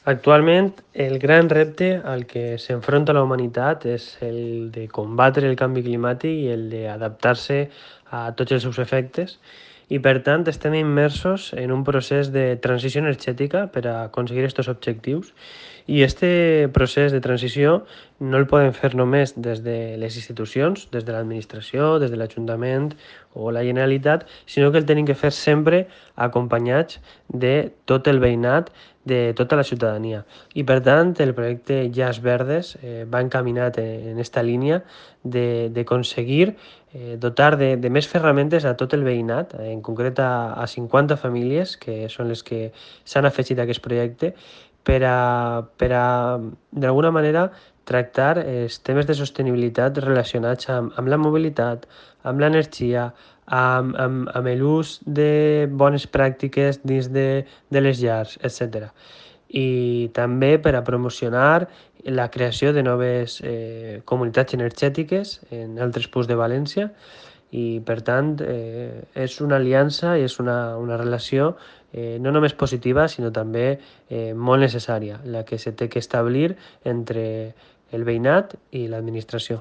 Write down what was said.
Actualment, el gran repte al que s'enfronta la humanitat és el de combatre el canvi climàtic i el d'adaptar-se a tots els seus efectes i, per tant, estem immersos en un procés de transició energètica per a aconseguir aquests objectius i este procés de transició no el podem fer només des de les institucions, des de l'administració, des de l'Ajuntament o la Generalitat, sinó que el tenim que fer sempre acompanyats de tot el veïnat, de tota la ciutadania. I per tant, el projecte Llars Verdes va encaminat en esta línia d'aconseguir dotar de més ferramentes a tot el veïnat, en concret a 50 famílies, que són les que s'han afegit a aquest projecte, per a d'alguna manera, tractar els temes de sostenibilitat relacionats amb la mobilitat, amb l'energia, amb l'ús de bones pràctiques dins de les llars, etc. I també per a promocionar la creació de noves comunitats energètiques en altres punts de València i, per tant, és una aliança i és una relació no només positiva, sinó també molt necessària, la que se té que establir entre el veïnat i l'administració.